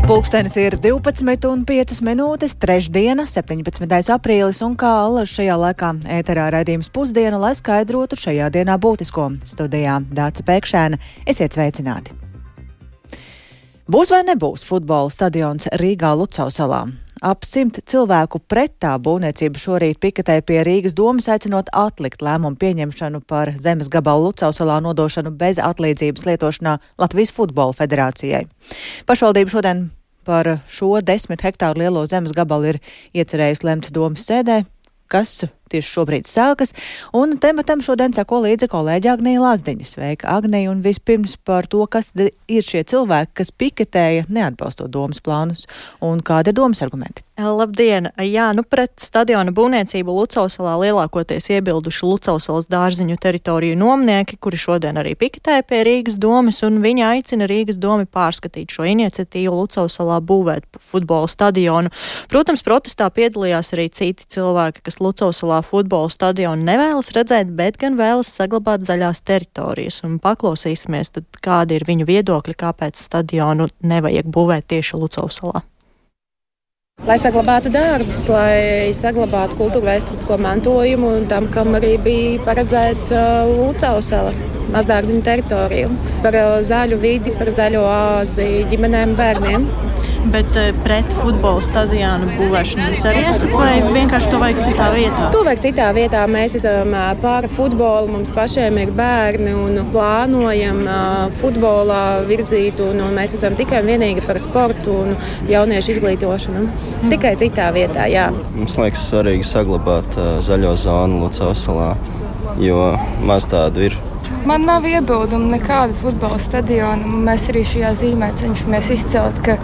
Pulkstenis ir 12:05, trešdiena, 17. aprīlis, un kā allaž šajā laikā ēterā raidījums Pusdiena, lai skaidrotu šajā dienā būtisko. Studijā Dāca Pēkšēna. Esiet sveicināti! Būs vai nebūs futbola stadions Rīgā Lucavsalā? Ap 100 cilvēku pret tā būvniecību šorīt piketēja pie Rīgas domas, aicinot atlikt lēmumu pieņemšanu par zemes gabalu Lucavsalā nodošanu bez atlīdzības lietošanā Latvijas Futbola federācijai. Pašvaldība šodien par šo 10 hektāru lielo zemes gabalu ir iecerējusi lemt domas sēdē, kas tieši šobrīd sākas, un tematam šodien seko līdzi kolēģi Agnija Lazdiņa. Sveika, Agnija, un vispirms par to, kas ir šie cilvēki, kas piketēja neatbalstot domas plānus, un kādi ir domas argumenti. Labdien! Jā, pret stadiona būvniecību Lucavsalā lielākoties iebilduši Lucavsalas dārziņu teritoriju nomnieki, kuri šodien arī piketēja pie Rīgas domas, un viņi aicina Rīgas domi pārskatīt šo iniciatīvu Lucavsalā būvēt futbola stadionu. Protams, protestā piedalījās arī citi cilvēki, kas Lucavsalā futbola stadionu nevēlas redzēt, bet gan vēlas saglabāt zaļās teritorijas. Un paklausīsimies, tad kādi ir viņu viedokļi, kāpēc stadionu nevajag būvēt tieši Lucavsalā. Lai saglabātu dārzus, lai saglabātu kultūra vēsturisko mantojumu un tam, kam arī bija paredzēts Lucavsala mazdārziņu teritoriju. Par zaļu vidi, par zaļo oāzi ģimenēm, bērniem. Bet pret futbola stadionu būvēšanu jūs arī esat, vai vienkārši to vajag citā vietā? To vajag citā vietā. Mēs esam pār futbolu, mums pašiem ir bērni un plānojam futbolā virzīt, un mēs esam tikai un vienīgi par sportu un jauniešu izglītošanu. Tikai citā vietā, jā. Mums liekas svarīgi saglabāt zaļo zonu Lucavsalā, jo maz tādu ir. Man nav iebildumu nekāda futbola stadiona. Mēs arī šajā zīmē cenšamies izcelt, ka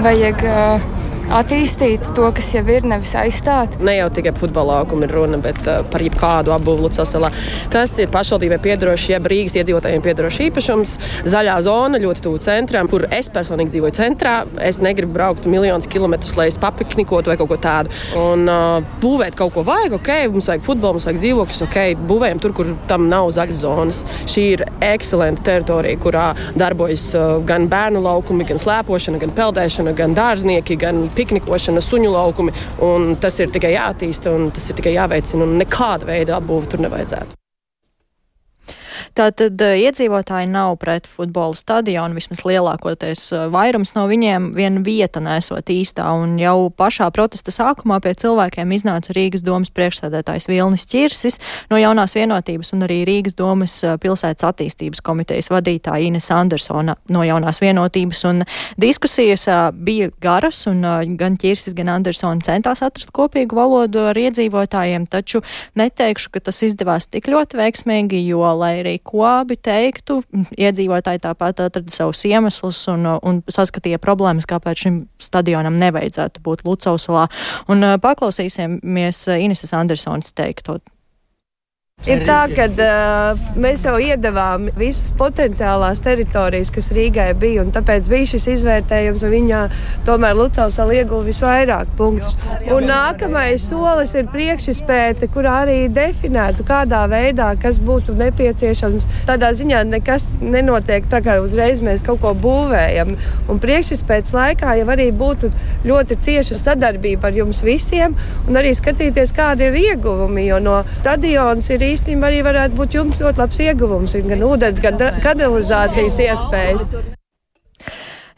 vajag attīstīt to, kas jau ir, nevis aizstāt. Ne jau tikai futbola laukuma ir runa, bet par jebkādu apbūvi Lucavsalā. Tas ir pašvaldībai piederošs, jeb Rīgas iedzīvotājiem piederošs īpašums. Zaļā zona ļoti tuvu centram, kur es personīgi dzīvoju centrā. Es negribu braukt miljonus kilometrus, lai es papiknikotu vai kaut ko tādu. Un būvēt kaut ko vajag, ok, mums vajag futbolu, mums vajag dzīvokļus, ok, būvējam tur, kur tam nav zaļas zonas. Šī ir ekscelenta teritorija, kurā darbojas gan bērnu laukumi, gan slēpošana, gan peldēšana, gan dārznieki, gan piknikošana, suņu laukumi, un tas ir tikai jāattīsta, un tas ir tikai jāveicina, un nekāda veida apbūve tur nevajadzētu. Tātad iedzīvotāji nav pret futbola stadionu, vismaz lielākoties vairums no viņiem viena vieta nesot īstā, un jau pašā protesta sākumā pie cilvēkiem iznāca Rīgas domas priekšsēdētājs Vilnis Ķirsis, no Jaunās vienotības, un arī Rīgas domas pilsētas attīstības komitejas vadītāja Ines Andersona no Jaunās vienotības, un diskusijas bija garas, un gan Ķirsis, gan Andersona centās atrast kopīgu valodu ar iedzīvotājiem, taču neteikšu, ka tas izdevās tik ļoti veiksmīgi, jo, lai arī ko abi teiktu, iedzīvotāji tāpat atrada savus iemeslus un saskatīja problēmas, kāpēc šim stadionam nevajadzētu būt Lucavsalā. Un paklausīsimies Ineses Andersonas teikto. Ir tā, ka mēs jau iedavām visas potenciālās teritorijas, kas Rīgai bija, un tāpēc bija šis izvērtējums, un viņā tomēr Lucavsala ieguva visvairāk punktus. Un nākamais solis ir priekšizpēte, kurā arī definētu, kādā veidā, kas būtu nepieciešams. Tādā ziņā nekas nenotiek tā, kā uzreiz mēs kaut ko būvējam. Un priekšizpētes laikā jau arī būtu ļoti cieša sadarbība ar jums visiem, un arī skatīties, kādi ir ieguvumi, jo no stadions ir īstenībā arī varētu būt jums ļoti labs ieguvums, gan ūdens, gan kanalizācijas iespējas.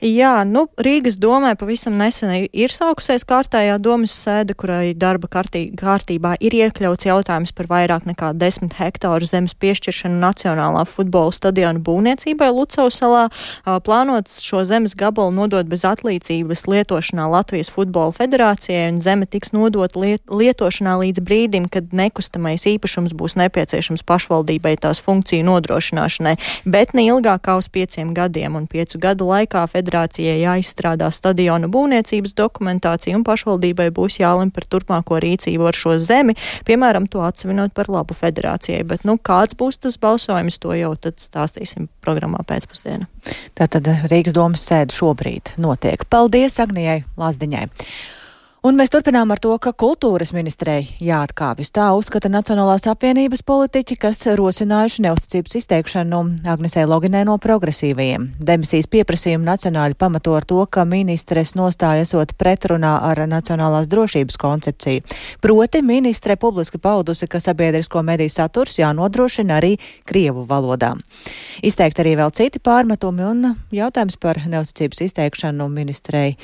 Jā, Rīgas domē pavisam nesen ir sākusies kārtējā domas sēde, kurai darba kārtībā ir iekļauts jautājums par vairāk nekā 10 hektāru zemes piešķiršanu Nacionālā futbola stadiona būvniecībai Lucavsalā. Plānots šo zemes gabalu nodot bez atlīdzības lietošanā Latvijas Futbola federācijai, un zeme tiks nodot lietošanā līdz brīdim, kad nekustamais īpašums būs nepieciešams pašvaldībai tās funkciju nodrošināšanai, bet ne ilgāk kā uz 5 gadiem, un 5 gadu laikā federācijai jāizstrādā stadiona būvniecības dokumentācija, un pašvaldībai būs jālem par turpmāko rīcību ar šo zemi, piemēram, to atsevinot par labu federācijai. Bet, kāds būs tas balsojums, to jau tad stāstīsim programmā pēcpusdienā. Tātad Rīgas domas sēde šobrīd notiek. Paldies Agnijai Lazdiņai. Un mēs turpinām ar to, ka kultūras ministrei jāatkāpjas. Tā uzskata Nacionālās apvienības politiķi, kas rosinājuši neusticības izteikšanu Agnesei Loginai no progresīvajiem. Demisijas pieprasījumu nacionāļi pamato ar to, ka ministres nostāja esot pretrunā ar nacionālās drošības koncepciju. Proti ministre publiski paudusi, ka sabiedrisko mediju saturs jānodrošina arī krievu valodā. Izteikti arī vēl citi pārmetumi un jautājums par neusticības izteikšanu ministrei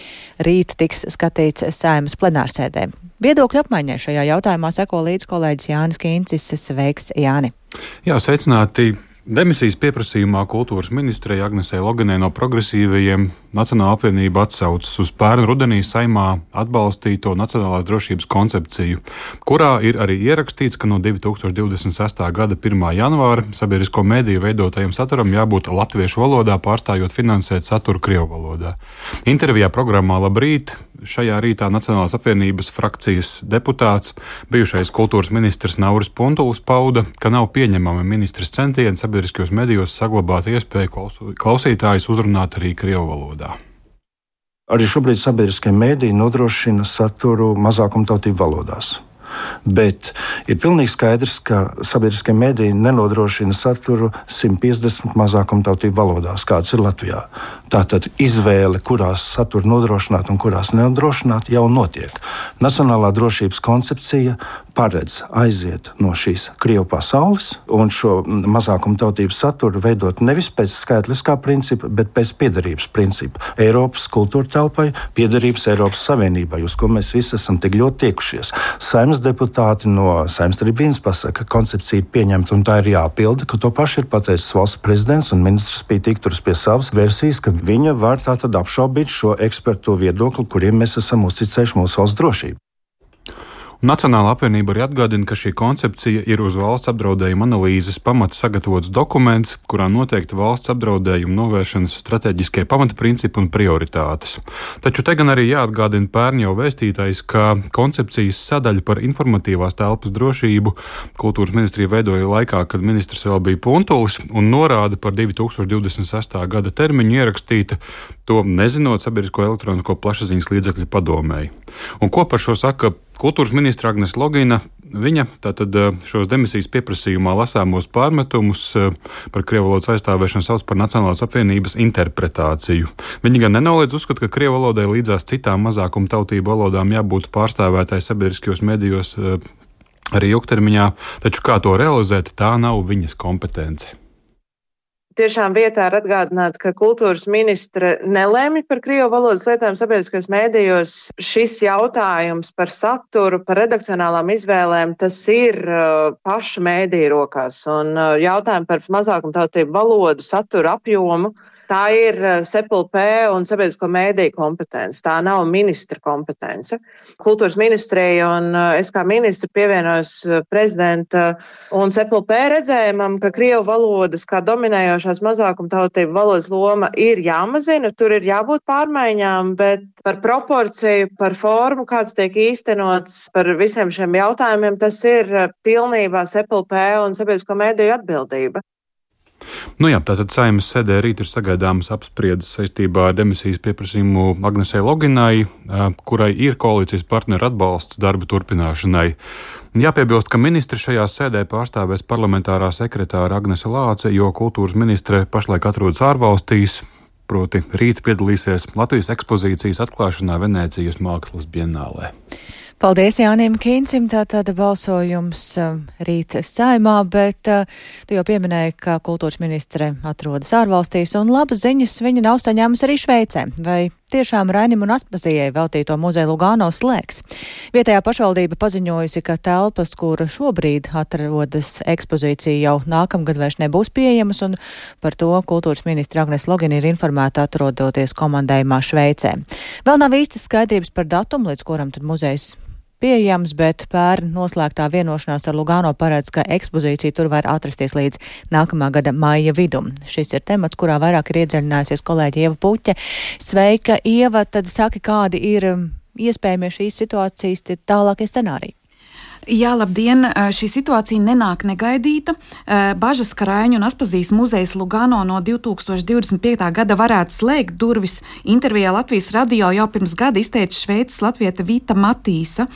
rīt tiks skatīts Saeimas plenārsēdē. Viedokļu apmaiņai šajā jautājumā seko līdz kolēģis Jānis Kīncis. Sveiks, Jāni! Jā, sveicināti! Demisijas pieprasījumā kultūras ministrei Agnesei Loginai no progresīvajiem Nacionālā apvienība atsaucas uz pērn rudenī Saeimā atbalstīto nacionālās drošības koncepciju, kurā ir arī ierakstīts, ka no 2026. gada 1. janvāra sabiedrisko mediju veidotajam saturam jābūt latviešu valodā, pārstājot finansēt saturu krievu valodā. Intervijā programmā Labrīt šajā rītā Nacionālās apvienības frakcijas deputāts, bijušais kultūras ministrs Nauris Puntulis pauda, ka nav pieņemami ministres centieni sabiedriskajos medijos saglabāt iespēju klausītājus uzrunāt arī krievu valodā. Arī šobrīd sabiedriskie mediji nodrošina saturu mazākumtautību valodās. Bet ir pilnīgi skaidrs, ka sabiedriskie mediji nenodrošina saturu 150 mazākumtautību valodās, kāds ir Latvijā. Tātad izvēle, kurās saturu nodrošināt un kurās nenodrošināt, jau notiek. Nacionālā drošības koncepcija paredz aiziet no šīs Krievu pasaules un šo mazākumtautību saturu veidot nevis pēc skaitliskā principa, bet pēc piederības principa. Eiropas kultūra telpai, piederības Eiropas Savienībai, uz ko mēs visi esam tik ļoti tiekušies. Saeimas deputāti no Saeimas tribīnas pasaka, ka koncepcija ir pieņemta un tā ir jāpilda, ka to pašu ir pateicis valsts prezidents un ministrs Pītīgi turas pie savas versijas, ka viņa var tātad apšaubīt šo ekspertu viedokli, kuriem mēs esam uzticējuši mūsu valsts drošību. Nacionālā apvienība arī atgādina, ka šī koncepcija ir uz valsts apdraudējuma analīzes pamata sagatavots dokuments, kurā noteikti valsts apdraudējuma novēršanas stratēģiskie pamatprincipi un prioritātes. Taču te gan arī jāatgādina pērn jau vēstītais, ka koncepcijas sadaļa par informatīvās telpas drošību kultūras ministrija veidoja laikā, kad ministrs vēl bija Puntulis, un norāda par 2026. gada termiņu ierakstīta, to nezinot sabiedrisko elektronisko plašsaziņas līdzekļu padomēji. Un ko par šo saka kultūras ministra Agnese Logina? Viņa tātad šos demisijas pieprasījumā lasāmos pārmetumus par krievu valodas aizstāvēšanu sauc par Nacionālās apvienības interpretāciju. Viņi gan nenoliedz uzskatu, ka krievu valodai līdzās citām mazākuma tautību valodām jābūt pārstāvētai sabiedriskajos medijos arī ilgtermiņā, taču kā to realizēt, tā nav viņas kompetence. Tiešām vietā ir atgādināt, ka kultūras ministre nelēma par krievu valodas lietojumu sabiedriskajos mēdījos. Šis jautājums par saturu, par redakcionālām izvēlēm, tas ir pašu mēdīju rokās. Un jautājumi par mazākumtautību valodu, saturu, apjomu, tā ir SEPLP un sabiedrisko mēdīju kompetence. Tā nav ministra kompetence. Kultūras ministrija un es kā ministra pievienojos prezidenta un SEPLP redzējumam, ka krievu valodas kā dominējošās mazākumtautību valodas loma ir jāmazina, tur ir jābūt pārmaiņām, bet par proporciju, par formu, kāds tiek īstenots, par visiem šiem jautājumiem, tas ir pilnībā SEPLP un sabiedrisko mēdīju atbildība. Nu jā, tātad Saeimas sēdē rīt ir sagaidāmas apspriedes saistībā ar demisijas pieprasījumu Agnesei Loginai, kurai ir koalīcijas partneru atbalsts darba turpināšanai. Jāpiebilst, ka ministri šajā sēdē pārstāvēs parlamentārā sekretāra Agnese Lāce, jo kultūras ministre pašlaik atrodas ārvalstīs, proti rīt piedalīsies Latvijas ekspozīcijas atklāšanā Venēcijas mākslas bienālē. Paldies Jānim Kīncim, tātad balsojums rīt Saeimā, bet tu jau pieminēji, ka kultūras ministre atrodas ārvalstīs un labas ziņas viņa nav saņēmusi arī Šveicē. Vai tiešām Rainim un Aspazijai veltīto muzeju Lugano slēgs? Vietējā pašvaldība paziņojusi, ka telpas, kur šobrīd atrodas ekspozīcija, jau nākamgad vairs nebūs pieejamas, un par to kultūras ministra Agnese Logina ir informēta atrodoties komandējumā Šveicē. Vēl nav īstas skaidrības par datumu, līdz kuram tad muzejs pieejams, bet pērn noslēgtā vienošanās ar Lugano paredz, ka ekspozīcija tur var atrasties līdz nākamā gada maija vidum. Šis ir temats, kurā vairāk ir iedziļinājusies kolēģi Ieva Puķe. Sveika, Ieva, tad saki, kādi ir iespējamie šīs situācijas tālākie scenāriji? Jā, labdien! Šī situācija nenāk negaidīta. Bažas, ka Raiņu un Aspazijas muzejs Lugano no 2025. gada varētu slēgt durvis, intervijā Latvijas radio jau pirms gada izteica šveices latviete Vita Matīsa.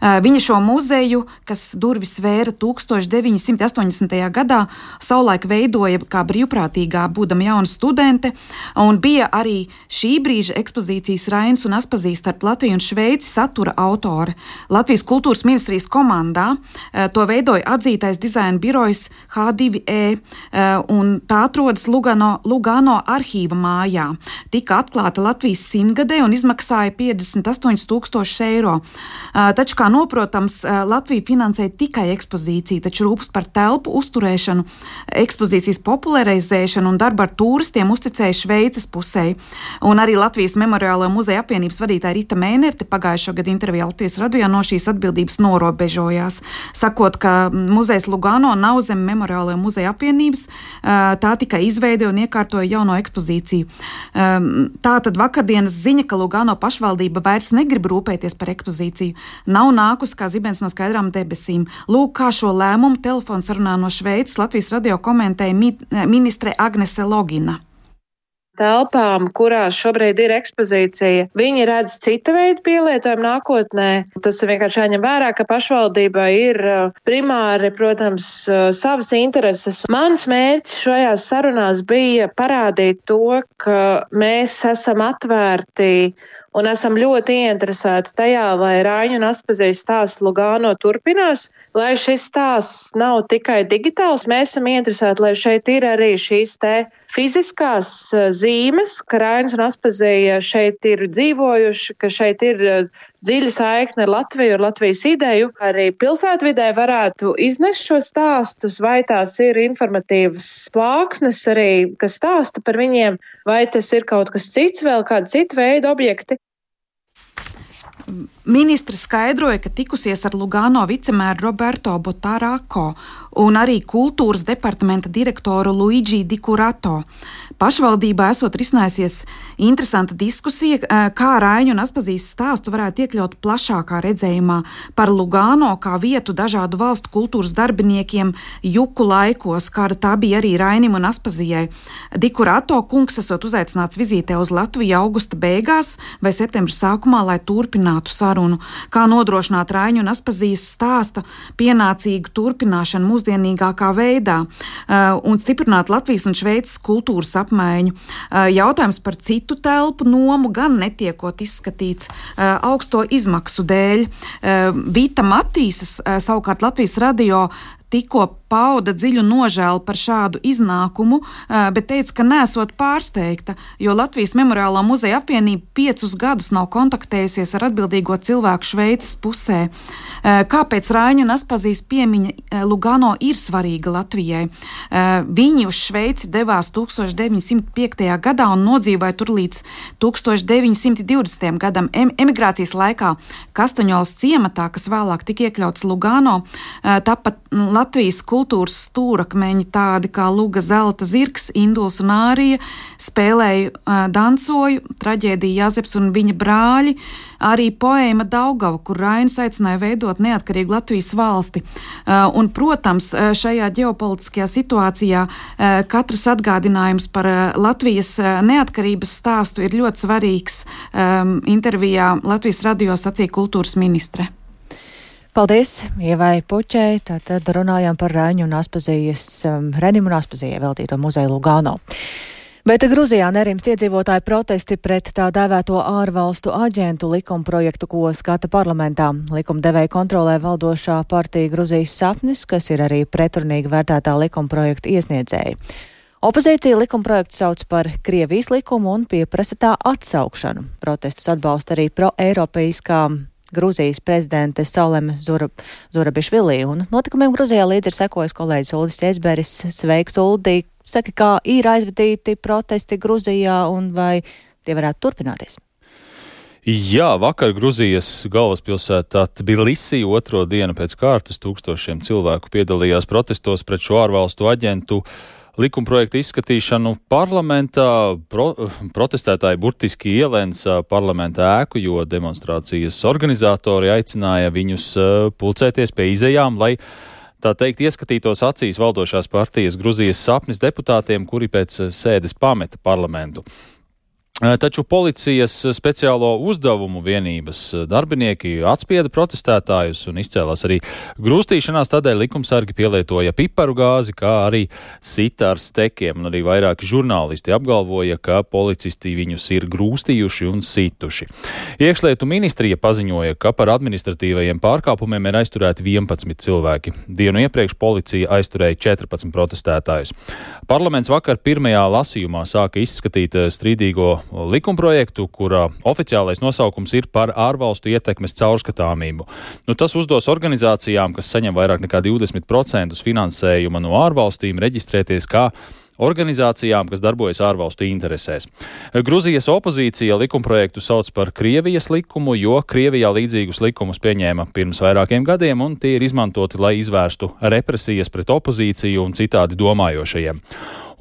Viņa šo muzeju, kas durvis vēra 1980. gadā, savulaik veidoja kā brīvprātīgā, būdama jauna studente, un bija arī šī brīža ekspozīcijas Rainis un Aspazijas starp Latviju un Šveici satura autore. Latvijas kultūras ministrijas komandā to veidoja atzītais dizaina birojs H2E, un tā atrodas Lugano arhīva mājā. Tika atklāta Latvijas 100-gadē un izmaksāja 58,000 eiro. Taču, kā noprotams, Latvija finansēja tikai ekspozīciju, taču rūpes par telpu uzturēšanu, ekspozīcijas popularizēšanu un darbu ar turistiem uzticēja Šveices pusē. Un arī Latvijas Memoriālo muzeja apvienības vadītāja Rita Mēnerte pagājušo gadu intervijā Latvijas radio no šīs atbildības norobežojās, sakot, ka muzejs Lugano nav zem Memoriālo muzeja apvienības, tā tikai izveidoja un iekārtoja jauno ekspozīciju. Tātad vakardienas ziņa, ka Lugano pašvaldība vairs negrib rūpēties par ekspozīciju, nav nākusi kā zibens no skaidrām debesīm. Lūk, kā šo lēmumu telefonsarunā no Šveices Latvijas radio komentēja ministre Agnese Logina. Telpām, kurās šobrīd ir ekspozīcija, viņi redz cita veida pielietojumu nākotnē. Tas ir vienkārši jāņem vērā, ka pašvaldībai ir primāri, protams, savas intereses. Mans mērķis šajās sarunās bija parādīt to, ka mēs esam atvērti un esam ļoti ieinteresēti tajā, lai Raiņu un Aspazijas stāsts Lugano turpinās, lai šis stāsts nav tikai digitāls. Mēs esam ieinteresēti, lai šeit ir arī šīs te fiziskās zīmes, ka Rainis un Aspazija šeit ir dzīvojuši, ka šeit ir dziļa saikne ar Latviju, ar Latvijas ideju. Arī pilsētvidē varētu iznest šo stāstus, vai tās ir informatīvas plāksnes arī, kas stāsta par viņiem, vai tas ir kaut kas cits, vēl kāda cita veida objekti. Ministre skaidroja, ka tikusies ar Lugano vicemēru Roberto Botarako un arī kultūras departamenta direktoru Luigi Di Curato. Pašvaldībā esot risinājusies interesanta diskusija, kā Raiņu un Aspazijas stāstu varētu iekļaut plašākā redzējumā par Lugano kā vietu dažādu valstu kultūras darbiniekiem juku laikos, kāda tā bija arī Rainim un Aspazijai. Di Curato kungs esot uzaicināts vizītē uz Latviju augusta beigās vai septembra sākumā, lai turpinātu sarunu, kā nodrošināt Raiņu un Aspazijas stāsta pienācīgu turpināšanu mūsdienīgākā veidā un stiprināt Latvijas un Šveices kultūras apmaiņu. Jautājums par citu telpu nomu gan netiekot izskatīts augsto izmaksu dēļ. Vita Matīsas, savukārt Latvijas radio, tikko pauda dziļu nožēlu par šādu iznākumu, bet teica, ka nesot pārsteigta, jo Latvijas Memoriālā muzeja apvienība 5 gadus nav kontaktējusies ar atbildīgo cilvēku Šveices pusē. Kāpēc Raiņu un Aspazijas piemiņa Lugano ir svarīga Latvijai? Viņi uz Šveici devās 1905. gadā un nodzīvoja tur līdz 1920. gadam. Emigrācijas laikā Kastaņolas ciematā, kas vēlāk tika iekļauts Lugano, tāpat Latvijas kultūras stūrakmeņi tādi kā Luga Zelta zirgs, Induls un Ārija, spēlēja dansoju, traģēdija Jāzeps un viņa brāļi, arī poēma Daugava, kur Rainis aicināja veidot neatkarīgu Latvijas valsti. Un, protams, šajā ģeopolitiskajā situācijā katrs atgādinājums par Latvijas neatkarības stāstu ir ļoti svarīgs. Intervijā Latvijas radio sacīja kultūras ministre. Paldies Ievai Puķei. Tātad runājām par Raiņu un Aspazijas, Renim un Aspazijai veltīto muzeju Lugano. Bet Gruzijā nerimst iedzīvotāju protesti pret tā dēvēto ārvalstu aģentu likumprojektu, ko skata parlamentā. Likumdevēja kontrolē valdošā partija Gruzijas sapnis, kas ir arī pretrunīgi vērtētā likumprojekta iesniedzēja. Opozīcija likumprojektu sauc par Krievijas likumu un pieprasa tā atsaukšanu. Protestus atbalsta arī pro-eiropeiskā Gruzijas prezidente Saleme Zurabišvili, un notikumiem Gruzijā līdz ir sekojis kolēģis Uldis Ķezberis. Sveiks, Uldi! Saki, kā ir aizvadīti protesti Gruzijā un vai tie varētu turpināties? Jā, vakar Gruzijas galvaspilsētā Tbilisi otro dienu pēc kārtas tūkstošiem cilvēku piedalījās protestos pret šo ārvalstu aģentu likumprojekta izskatīšanu parlamentā. Protestētāji burtiski ielēns parlamenta ēku, jo demonstrācijas organizatori aicināja viņus pulcēties pie izejām, lai tā teikt ieskatītos acīs valdošās partijas Gruzijas sapnis deputātiem, kuri pēc sēdes pameta parlamentu. Taču policijas speciālo uzdevumu vienības darbinieki atspieda protestētājus un izcēlās arī grūstīšanās, tādēļ likumsargi pielietoja piparu gāzi, kā arī sita ar stekiem, un arī vairāki žurnālisti apgalvoja, ka policisti viņus ir grūstījuši un situši. Iekšlietu ministrija paziņoja, ka par administratīvajiem pārkāpumiem ir aizturēti 11 cilvēki. Dienu iepriekš policija aizturēja 14 protestētājus. Parlaments vakar pirmajā lasījumā sāka izskatīt strīdīgo likumprojektu, kura oficiālais nosaukums ir par ārvalstu ietekmes caurskatāmību. Tas uzdos organizācijām, kas saņem vairāk nekā 20% finansējuma no ārvalstīm, reģistrēties kā organizācijām, kas darbojas ārvalstu interesēs. Gruzijas opozīcija likumprojektu sauc par Krievijas likumu, jo Krievijā līdzīgus likumus pieņēma pirms vairākiem gadiem, un tie ir izmantoti, lai izvērstu represijas pret opozīciju un citādi domājošajiem.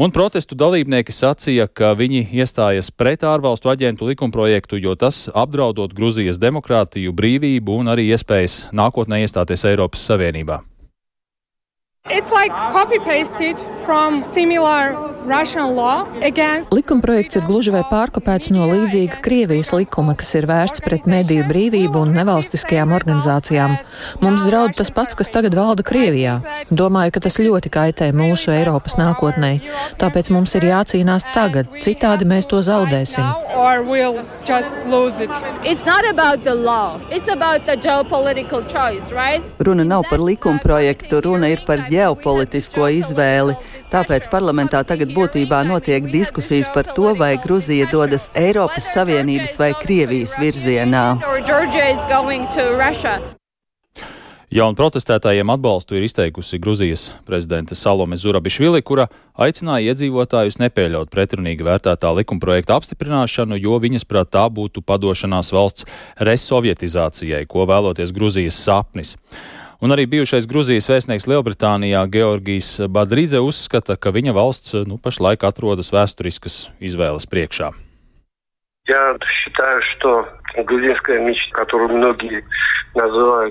Un protestu dalībnieki sacīja, ka viņi iestājas pret ārvalstu aģentu likumprojektu, jo tas apdraudot Gruzijas demokrātiju, brīvību un arī iespējas nākotnē iestāties Eiropas Savienībā. It's like copy-pasted from similar Russian law against... Likumprojekts ir gluži vai pārkopēts no līdzīga Krievijas likuma, kas ir vērsts pret mediju brīvību un nevalstiskajām organizācijām. Mums draud tas pats, kas tagad valda Krievijā. Domāju, ka tas ļoti kaitē mūsu Eiropas nākotnei. Tāpēc mums ir jācīnās tagad, citādi mēs to zaudēsim. Runa nav par likumprojektu, runa ir par ģeopolitisko izvēli. Tāpēc parlamentā tagad būtībā notiek diskusijas par to, vai Gruzija dodas Eiropas Savienības vai Krievijas virzienā. Jaunu protestētājiem atbalstu ir izteikusi Gruzijas prezidente Salome Zurabišvili, kura aicināja iedzīvotājus nepieļaut pretrunīgi vērtētā likumprojekta apstiprināšanu, jo viņas prāt tā būtu padošanās valsts resovietizācijai, ko vēloties Gruzijas sapnis. Un arī bijušais Gruzijas vēstnieks Lielbritānijā Georgijs Badridze uzskata, ka viņa valsts pašlaik atrodas vēsturiskas izvēles priekšā.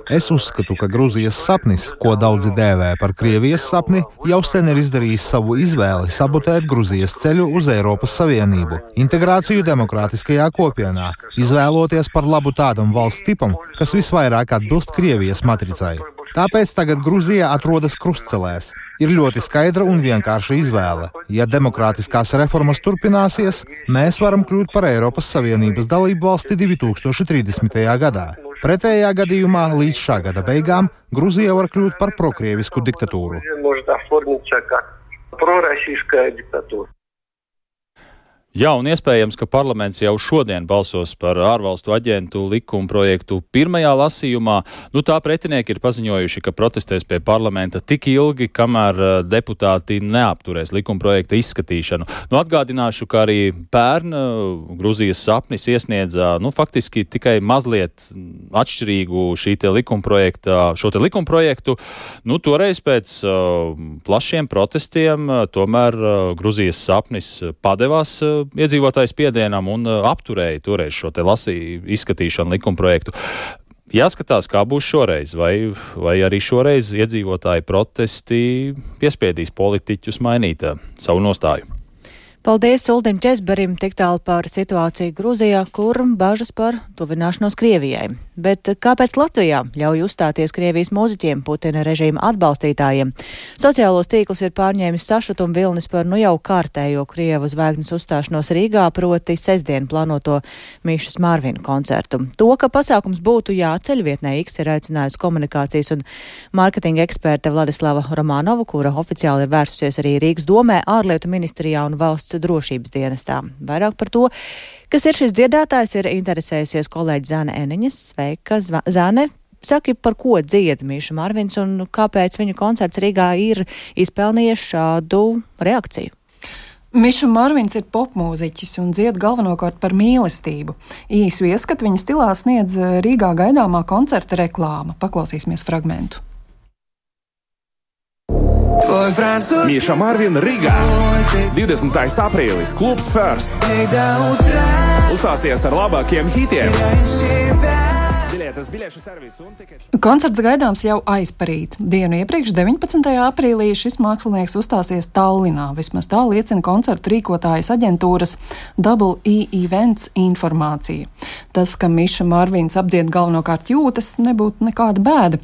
Es uzskatu, ka Gruzijas sapnis, ko daudzi dēvē par Krievijas sapni, jau sen ir izdarījis savu izvēli sabotēt Gruzijas ceļu uz Eiropas Savienību, integrāciju demokrātiskajā kopienā, izvēloties par labu tādam valsts tipam, kas visvairāk atbilst Krievijas matricai. Tāpēc tagad Gruzija atrodas krustcelēs. Ir ļoti skaidra un vienkārša izvēle. Ja demokrātiskās reformas turpināsies, mēs varam kļūt par Eiropas Savienības dalību valsti 2030. gadā. Pretējā gadījumā līdz šā gada beigām Gruzija var kļūt par prokrievisku diktatūru. Jā, un iespējams, ka parlaments jau šodien balsos par ārvalstu aģentu likumprojektu pirmajā lasījumā. Tā pretinieki ir paziņojuši, ka protestēs pie parlamenta tik ilgi, kamēr deputāti neapturēs likumprojekta izskatīšanu. Atgādināšu, ka arī pērn Gruzijas sapnis iesniedza faktiski tikai mazliet atšķirīgu šo likumprojektu. Toreiz pēc plašiem protestiem tomēr Gruzijas sapnis padevās iedzīvotājs spiedienam un apturēja toreiz šo izskatīšanu likumprojektu. Jāskatās, kā būs šoreiz, vai arī šoreiz iedzīvotāji protesti piespiedīs politiķus mainīt savu nostāju. Paldies Uldim Česberim tik tālu par situāciju Gruzijā, kur bažas par tuvināšanos Krievijai. Bet kāpēc Latvijā ļauj uzstāties Krievijas mūziķiem, Putina režīma atbalstītājiem? Sociālos tīklus ir pārņēmis sašutuma vilnis par jau kārtējo Krievu zvaigznes uzstāšanos Rīgā, proti sestdien plānoto Mišas Marvina koncertu. To, ka pasākums būtu jāceļ, vietnē X ir aicinājusi komunikācijas un mārketinga eksperte Vladislava Romanova, kura oficiāli ir vērsusies arī Rīgas domē, ārlietu ministrijā un valsts drošības dienestā. Vairāk par to, kas ir šis dziedātājs, ir interesējusies kolēģi Zane Eniņas. Sveika, Zane! Saki, par ko dzied Miša Marvins un kāpēc viņa koncerts Rīgā ir izpelnījies šādu reakciju? Miša Marvins ir popmūziķis un dzied galvenokārt par mīlestību. Īsu ieskatu viņa stilā sniedz Rīgā gaidāmā koncerta reklāma. Paklausīsimies fragmentu. Mīša Marvina Rīgā. 20. aprīlis klubs First. Uzstāsies ar labākiem hitiem. Koncerts gaidāms jau aizparīt. Dienu iepriekš, 19. aprīlī, šis mākslinieks uzstāsies Tallinā. Vismaz tā liecina koncertu rīkotājas aģentūras Double E Events informācija. Tas, ka Miša Marvins apdzied galvenokārt jūtas, nebūtu nekāda bēda.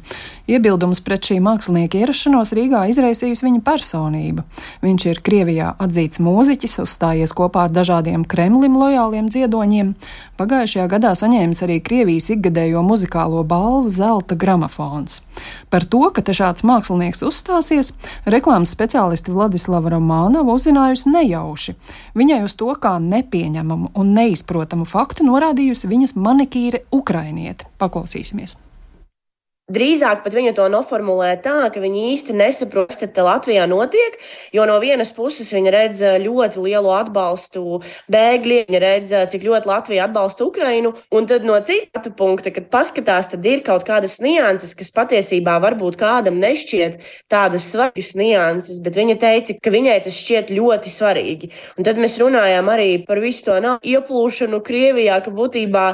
Iebildumus pret šī mākslinieka ierašanos Rīgā izraisījusi viņa personība. Viņš ir Krievijā atzīts mūziķis, uzstājies kopā ar dažādiem Kremlim lojāliem dziedoņiem. Pagājušajā gadā saņēmis arī Krievijas ikgadējo muzikālo balvu Zelta gramofons. Par to, ka te šāds mākslinieks uzstāsies, reklāmas speciālisti Vladislava Romanova uzzinājusi nejauši. Viņai uz to kā nepieņemamu un neizprotamu faktu norādījusi viņas manikīre ukrainiete. Paklausīsimies. Drīzāk pat viņa to noformulē tā, ka viņi īsti nesaprot, kas te Latvijā notiek, jo no vienas puses viņa redz ļoti lielu atbalstu bēgļiem, viņa redz, cik ļoti Latvija atbalsta Ukrainu, un tad no citu punkta, kad paskatās, tad ir kaut kādas nianses, kas patiesībā varbūt kādam nešķiet tādas svarīgas nianses, bet viņa teica, ka viņai tas šķiet ļoti svarīgi. Un tad mēs runājām arī par visu to ieplūšanu Krievijā, ka būtībā,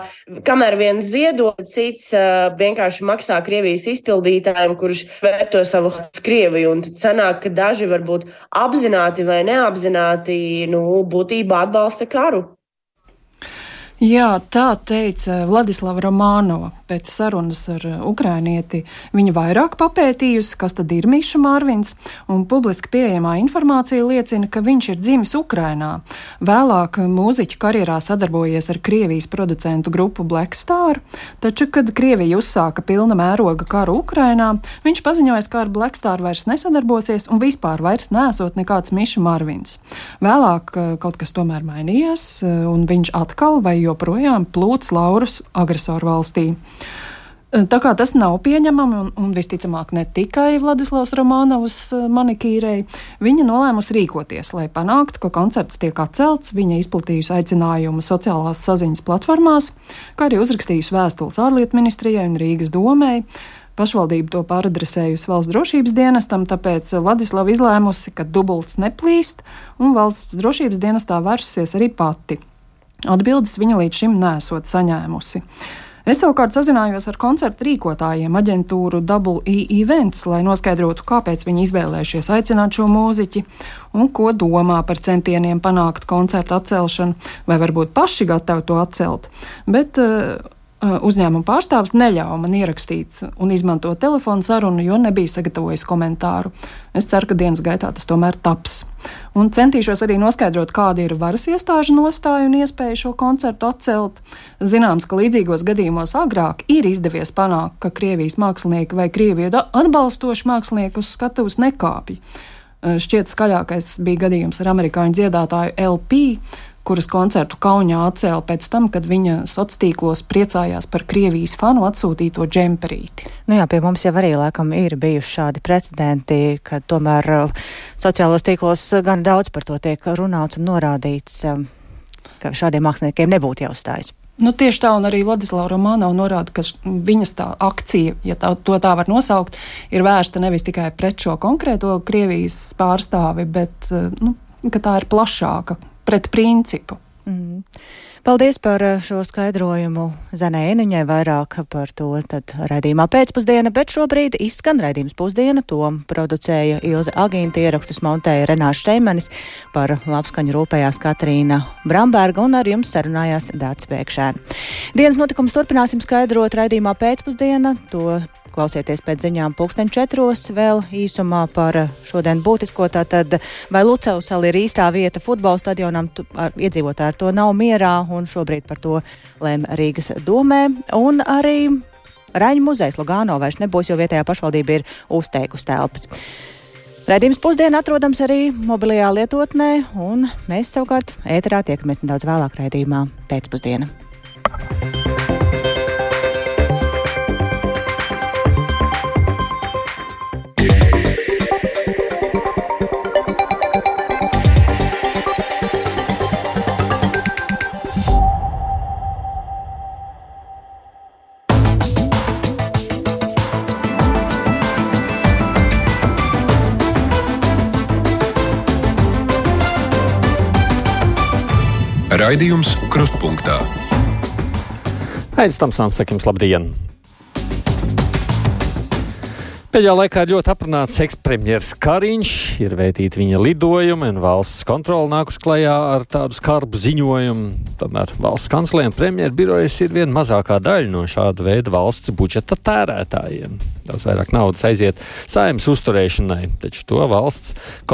kamēr viens ziedo, cits vienkārši maksā Krievijas izpildītājiem, kurš vērto savu Krieviju, un tad sanāk, ka daži varbūt apzināti vai neapzināti, būtībā atbalsta karu. Jā, tā teica Vladislava Romanova. Pēc sarunas ar ukrainieti viņa vairāk papētījusi, kas tad ir Miša Marvins, un publiski pieejamā informācija liecina, ka viņš ir dzimis Ukrainā. Vēlāk mūziķa karjerā sadarbojies ar Krievijas producentu grupu Black Star, taču, kad Krievija uzsāka pilna mēroga karu Ukrainā, viņš paziņoja, ka ar Black Star vairs nesadarbosies un vispār vairs nesot nekāds Miša Marvins. Vēlāk kaut kas tomēr mainījās, un viņš atkal vai joprojām plūc laurus agresoru valstī. Tā kā tas nav pieņemami un visticamāk ne tikai Vladislavs Romanovs manikīrei, viņa nolēmusi rīkoties, lai panāktu, ka koncerts tiek atcelts. Viņa izplatījusi aicinājumu sociālās saziņas platformās, kā arī uzrakstījusi vēstules ārlietu ministrijai un Rīgas domei. Pašvaldība to pāradresējusi valsts drošības dienestam, tāpēc Vladislava izlēmusi, ka dubults neplīst, un valsts drošības dienestā vērsusies arī pati. Atbildes viņa līdz šim nesot saņēmusi. Es savukārt sazinājos ar koncertu rīkotājiem aģentūru Double E Events, lai noskaidrotu, kāpēc viņi izvēlējušies aicināt šo mūziķi un ko domā par centieniem panākt koncertu atcelšanu, vai varbūt paši gatavi to atcelt. Bet uzņēmuma pārstāvis neļāva man ierakstīt un izmantot telefonu sarunu, jo nebija sagatavojis komentāru. Es ceru, ka dienas gaitā tas tomēr taps. Un centīšos arī noskaidrot, kāda ir varas iestāžu nostāja un iespēja šo koncertu atcelt. Zināms, ka līdzīgos gadījumos agrāk ir izdevies panākt, ka Krievijas mākslinieki vai Krieviju atbalstoši mākslinieki uz skatuves nekāpj. Šķiet skaļākais bija gadījums ar amerikāņu dziedātāju LP, kuras koncertu Kaunijā atcēla pēc tam, kad viņa sociālos tīklos priecājās par Krievijas fanu atsūtīto džemperīti. Jā, pie mums jau arī laikam ir bijuši šādi precedenti, ka tomēr sociālos tīklos gan daudz par to tiek runāts un norādīts, ka šādiem māksliniekiem nebūtu jāuzstājas. Tieši tā, un arī Vladislava Romanova norāda, ka viņas tā akcija, ja to tā var nosaukt, ir vērsta nevis tikai pret šo konkrēto Krievijas pārstāvi, bet ka tā ir plašāka, pret principu. Paldies par šo skaidrojumu Zanai Eniņai, vairāk par to tad raidījumā pēcpusdiena, bet šobrīd izskan raidījums pusdiena, to producēja Ilze Agīnta, ierakstus montēja Renārs Šteimanis, par labskaņu rūpējās Katrīna Bramberga un ar jums sarunājās Dācis Pēkšēni. Dienas notikums turpināsim skaidrot raidījumā pēcpusdiena, to klausieties pēc ziņām 4:00, vēl īsumā par šodien būtisko, tātad vai Lucavsala ir īstā vieta futbola stadionam, iedzīvotāji ar to nav mierā, un šobrīd par to lēm Rīgas domē, un arī Raņu muzejs Lugāno vairs nebūs, jo vietējā pašvaldība ir uzteikusi telpas. Raidījums pusdiena atrodams arī mobilajā lietotnē, un mēs savukārt ēterā tiekamies nedaudz vēlāk raidījumā pēcpusdiena. Raidījums Krustpunktā. Aidis Tamsāns, saka jums labdien! Pēdējā laikā ir ļoti aprunāts ekspremjers Kariņš, ir vētīti viņa lidojumi un valsts kontrola nākus klajā ar tādu skarbu ziņojumu. Tomēr valsts kanclere un premjeru birojas ir viena mazākā daļa no šāda veida valsts budžeta tērētājiem. Daudz vairāk naudas aiziet Saeimas uzturēšanai, taču to valsts